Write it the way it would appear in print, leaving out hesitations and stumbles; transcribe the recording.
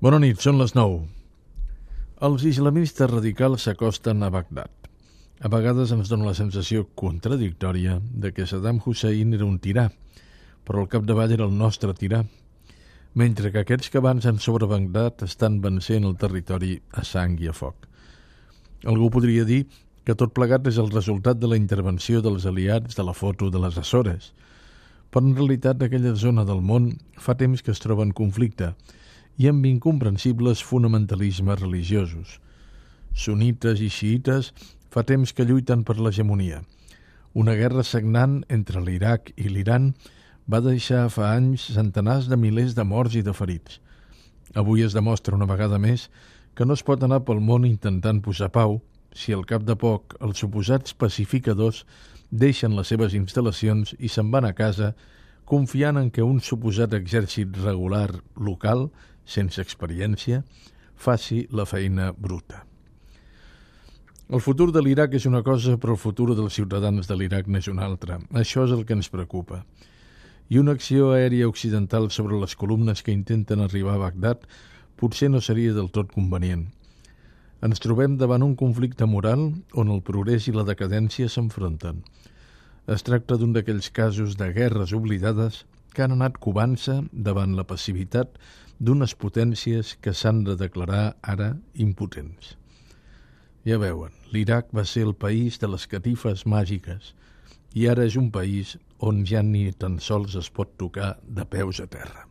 Bona nit, són les 9. Els islamistes radicals s'acosten a Bagdad. A vegades ens dona la sensació contradictòria de que Saddam Hussein era un tirà, però al capdavall era el nostre tirà, mentre que aquests que avancen sobre Bagdad estan vencent el territori a sang i a foc. Algú podria dir que tot plegat és el resultat de la intervenció dels aliats de la foto de les Açores, però en realitat aquella zona del món fa temps que es troba en conflicte i amb incomprensibles fonamentalismes religiosos. Sunites i xiïtes fa temps que lluiten per l'hegemonia. Una guerra sagnant entre l'Iraq i l'Iran va deixar fa anys centenars de milers de morts i de ferits. Avui es demostra una vegada més que no es pot anar pel món intentant posar pau si al cap de poc els suposats pacificadors deixen les seves instal·lacions i se'n van a casa confiant en que un suposat exèrcit regular local, sense experiència, faci la feina bruta. El futur de l'Iraq és una cosa, però el futur dels ciutadans de l'Iraq n'és una altra. Això és el que ens preocupa. I una acció aèria occidental sobre les columnes que intenten arribar a Bagdad potser no seria del tot convenient. Ens trobem davant un conflicte moral on el progrés i la decadència s'enfronten. Es tracta d'un d'aquells casos de guerres oblidades que han anat covant-se davant la passivitat d'unes potències que s'han de declarar ara impotents. Ja veuen, l'Iraq va ser el país de les catifes màgiques i ara és un país on ja ni tan sols es pot tocar de peus a terra.